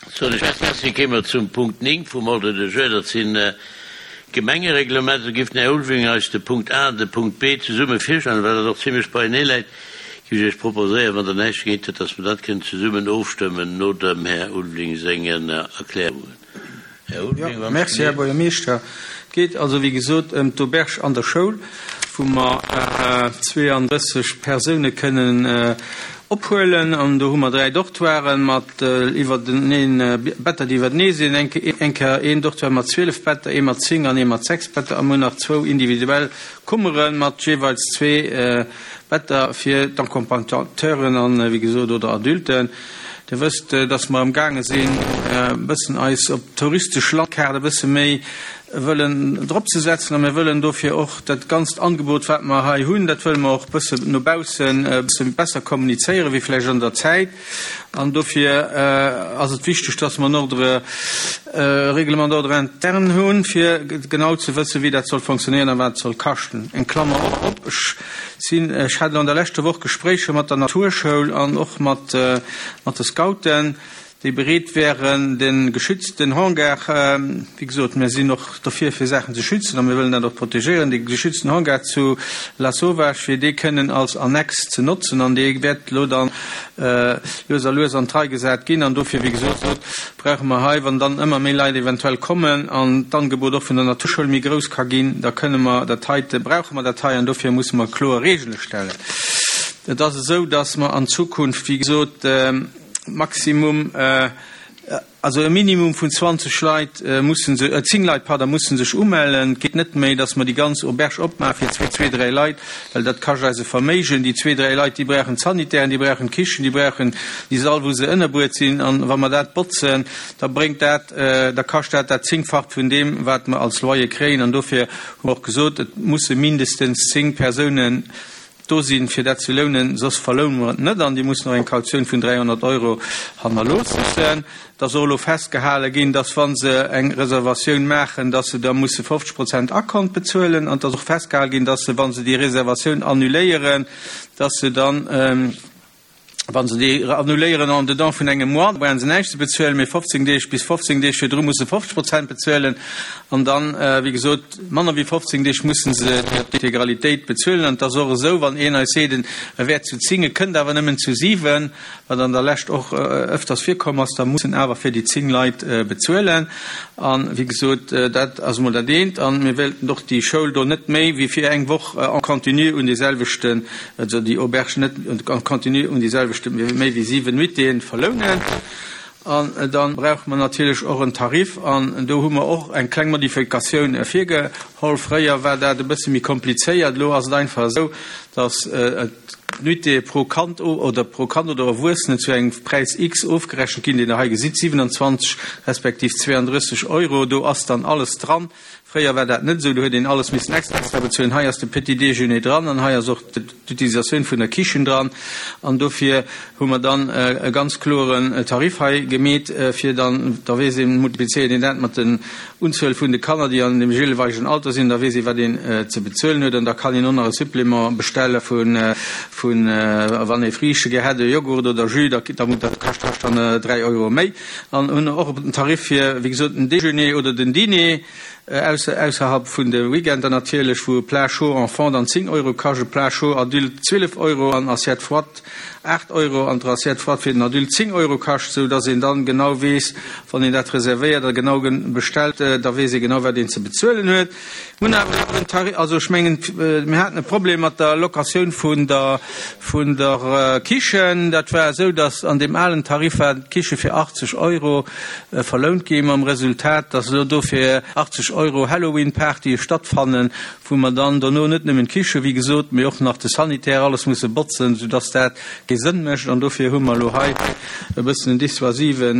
Soen ech Merci. Kéime mer zum Punkt 9 vum Ordre du jour, dat sinn d'Gemengereglementer. Do giff den Här Ulveling eis de Punkt A an de Punkt B zesumme virstellen, well dat och zimlech beienee läit. Giff ech Iech proposéieren, wann Der näischt dogéint hutt, dass mer dat kënnen zesummen ofstëmmen no dem Här Ulveling sengen Erklärungen. Här Ulveling, wann Merci, Här Buergermeeschter. Et geet also, wéi gesot, ëm d'Auberge an der Schoul, wou mer 32 Persoune kënnen ophuelen. An do hu mer 3 Dortoiren mat iwwerteneen, Better, déi iwwertenee sinn. Eng Kéier een Dortoir mat 12 Better, ee mat 10 an ee mat 6 Better. A mir hunn nach zwou individuell Kummere mat jeeweils zwee Better fir d'Accompagnateuren an, wéi gesot, oder Adulten. Dir wësst, dass mer amgaange sinn, e bëssen eis op d'touristesch Landkaart e bësse méi wëllen dropzesetzen. A mir wëllen dofir och dat ganzt Angebot, wat mer hei hunn, dat wëlle mer och e bëssen no baussen e bësse besser kommunizéieren, wéi vläicht an der Zäit. An dofir ass et wichteg, dass mer en Ordre, e Règlement d'ordre interne hunn, fir genau ze wëssen, wéi dat soll fonctionnéieren a wat et soll kaschten. Eng Klammer op, Ech sinn, ech hat elo an der leschter Woch Gespréicher mat der Naturschoul an och mat mat de Scouten, déi bereet wären, de geschützten Hangar, wéi gesot, mir sinn och derfir, fir Saachen ze schützen a mir wëllen dat och protegéieren, dee geschützten Hangar zu Lasauvage, fir dee kënnen als Annex ze notzen. An dee wäert elo dann lues a lues an d'Rei gesat ginn. An dofir, wéi gesot, brauche mer hei, wann dann ëmmer méi Leit eventuell kommen an d'Angebot och vun der Naturschoul méi grouss ka ginn, da kënne mer dat heite, brauche mer dat hei an dofir musse mer kloer Regele stellen. Et ass esou, dass mer an Zukunft, wéi gesot, maximum, also e Minimum vun 20 Leit mussen se, 10 Leit, pardon, mussen sech umellen. Et geet net méi, dass mer déi ganz Auberge opmaache fir zwee, dräi Leit, well dat kascht eis e Verméigen. Déi zwee, dräi Leit, déi brauchen d'Sanitären, déi brauchen d'Kichen, déi brauchen déi Sall, wou se ënnerbruet sinn. An wa mer dat botzen, da bréngt dat, da kascht dat dat Zéngfacht vun deem, wat mer als Loyer kréien. An dofir hu mer och gesot, et musse mindestens 10 Persounen do sinn, fir dat ze lounen, soss verloune mer et net. An déi mussen och eng Kautioun vun 300 Euro hannerloossen. Et ass och elo festgehale ginn, dass, wa se eng Reservatioun maachen, dass se da musse 50 Prozent Akkont bezuelen. An et ass och festgehale ginn, dass se, wa se déi Reservatioun annuléieren, dass se dann, wa se déi annuléieren en dedans vun engem Mois, da brauche se näischt ze bezuelen, mee 15 Deeg, bis 15 Deeg virdru musse 50 Prozent bezuelen. An dann, wéi gesot, manner wéi 15 Deeg musse se d'Integralitéit bezuelen. An et ass och esou, wann een eis seet, e wär zu 10, e kënnt awer nëmmen zu 7, wat an der Lescht och ëfters virkomm ass, da muss en awer fir déi 10 Leit bezuelen. An, wéi gesot, dat ass emol dat eent. A mir wéilten och déi Schoul do net méi wéi fir eng Woch en continu un deeselwechten, also déi Auberge net en continu un deeselwechte méi wéi 7 Nuitéen verlounen. An da brauche mer natierlech och en Tarif. An do hu mer och eng kleng Modifikatioun virgeholl. Fréier war dat e bësse méi komplizéiert. Elo ass et einfach esou, dass d'Nuitée pro Kand oder pro Kand oder Erwuessenen zu engem Präis X ofgerechent ginn, deen Der hei gesitt, 27 respektiv 32 Euro. Do ass dann alles dran. Fréier war dat net esou, do huet een alles missen extra bezuelen. Hei ass de Petit déjeuner dran an hei ass och d'Utilisatioun vun der Kichen dran. An dofir hu mer dann e ganz kloren Tarif hei gemeet, fir dann, da weess een, multiplizéiert een dat mat den Unzuel vun de Kanner, déi an deem jeeweilegen Alter sinn, da weess ee wat een ze bezuelen huet. An da kann een och nach e Supplément bestelle vun, wann ee Friichte gär hätt, e Joghurt oder Jus, da dat kascht dann 3 Euro méi. An hunn och en Tarif fir, wéi gesot, den Déjeuner oder den Dîner, ausserhalb vun de Weekender natierlech, wou e Plat chaud enfant dann 10 Euro kascht, e Plat chaud adulte 12 Euro an Assiette froide 8 Euro an d'Assiette froide fir den Adulte 10 Euro kascht, sou dass een dann genau weess, wann een dat reservéiert a genau bestellt, da weess ee genau, wat een ze bezuelen huet. Mir hunn awer en Tarif, also ech mengen, mir haten e Problem mat der Locatioun vun der, vun der Kichen. Dat war esou, datt an deem alen Tarif war d'Kiche fir 80 Euro verlount gi mam Resultat, datt elo do fir 80 Euro Halloween-Partye stattfannen, wou mer dann dono net nëmmen d'Kiche, wéi gesot, mee och nach de Sanitär, alles musse botzen, soudatt dat kee Sënn mécht. An dofir hu mer elo hei e bëssen en dissuasive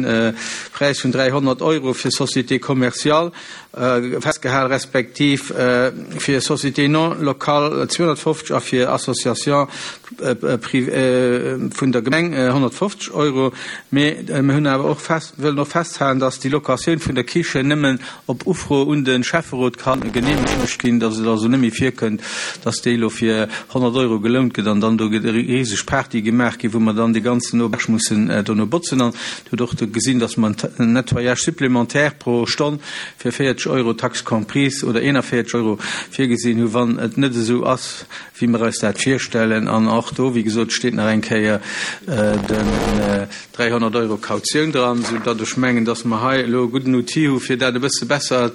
Präis vun 300 Euro fir Société commerciale. Festgehal, respektiv fir Sociétés non locales 250 a fir Associations vun der Gemeng 150 Euro. Mee mir hunn awer och fest, wëllen och festhalen, dass déi Locatioun vun der Kichen nëmmen op Ufro un de Schäfferot ka geneemegt ginn, dass et also net méi virkënnt, dass déi elo fir 100 Euro gelount gëtt an dann do riseg Partye gemaach ginn, wou mer dann déi ganzen Auberge mussen dono botzen. An Dir hutt och gesinn, dass mer en. Nettoyage supplémentaire pro Stonn fir 40 Euro, Taxe comprise, oder 41 Euro virgesinn hu wann et net esou ass, wéi mer eis dat virstellen. An och do, wéi gesot, steet nach eng Kéier den 300 Euro Kautioun dran, soudatt ech mengen, datt mer hei elo e gudden Outil hu fir dat e bësse besser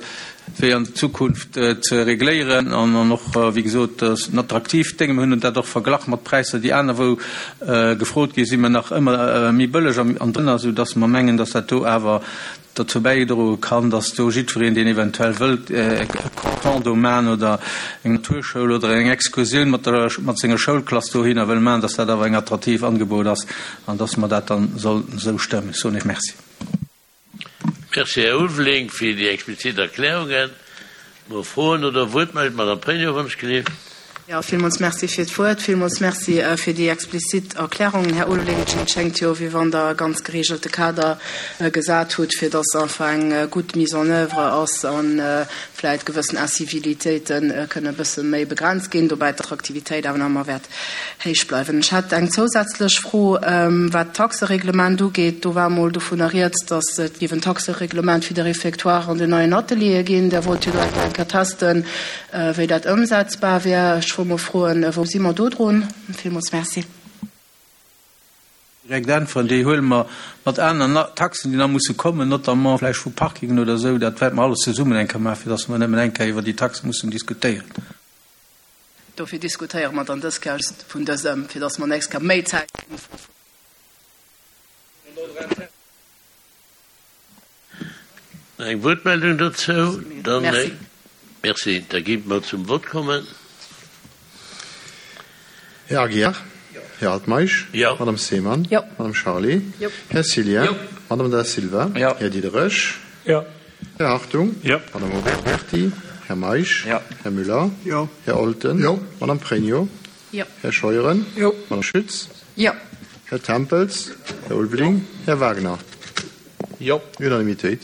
wéi an Zukunft ze regléieren an och, wéi gesot, ass en attraktiivt Déng. Mir hunn dat och verglach mat Präisser, déi anerwou gefrot ginn, si mer nach ëmmer méi bëlleg an drënner, soudatt mer mengen, datt dat do awer dozou bäidroe kann, datt do jiddwereen, deen eventuell wëllt e Condo maachen oder eng Naturschoul oder eng Excursioun mat der, mat senger Schoulklass dohinner wëll maachen, datt dat awer eng attraktiv Angebot ass an datt mer dat dann sollten esou stëmmen. Ech soen Iech Merci. Merci, Här Ulveling, fir déi explizit Erklärungen. Mo Froen oder Wuertmeldungen? D'Madame Pregno wënscht gelift. Jo, villmools Merci fir d'Wuert. Villmools Merci fir déi explizit Erklärungen, Här Ulveling. Et schéngt jo, wéi wann Der e ganz geregelte Kader gesat hutt, fir dass einfach eng gutt Mise en œuvre ass a vläicht gewëssen Incivilitéite kënne e bësse méi begrenzt ginn, dobäi d'Attraktivitéit awer nach ëmmer wäert héich bleiwen. Ech hätt eng zousätzlech Fro, wat d'Taxereglement ugeet. Do war emol dovunner rieds, datt et géif en Taxereglement fir de Réfectoire an den neien Ateliere ginn. Der wollt jo do eng Kéier testen, wéi dat ëmsetzbar wär. Ech wollt mol froen, wou si mer do drun? Villmools Merci. Direkt äntweren, déi huele mer mat aner Taxen, déi nach musse kommen, notamment vläicht vu Parkingen oder esou. Dat wäerte mer alles zesummen eng Kéier maachen, fir datt mer nëmmen eng Kéier iwwer déi Taxe mussen diskutéieren. Dofir diskutéiere mer dann dës Kéier just vun dësem, fir datt mer nächst Kéier méi Zäit hunn. Eng Wuertmeldung dozou? Dann, merci. Da gi mer zum Vott kommen. Här Aguiar? Här Altmeisch? Madame Seemann? Madame Charlé? Här Cillien? Madame Da Silva? Här Diderich? Här Hartung? Madame Oberti? Här Meisch? Här Müller? Här Olten? Madame Pregno? Här Scheuren? Madame Schütz? Här Tempels? Här Ulveling? Här Wagner? Unanimitéit.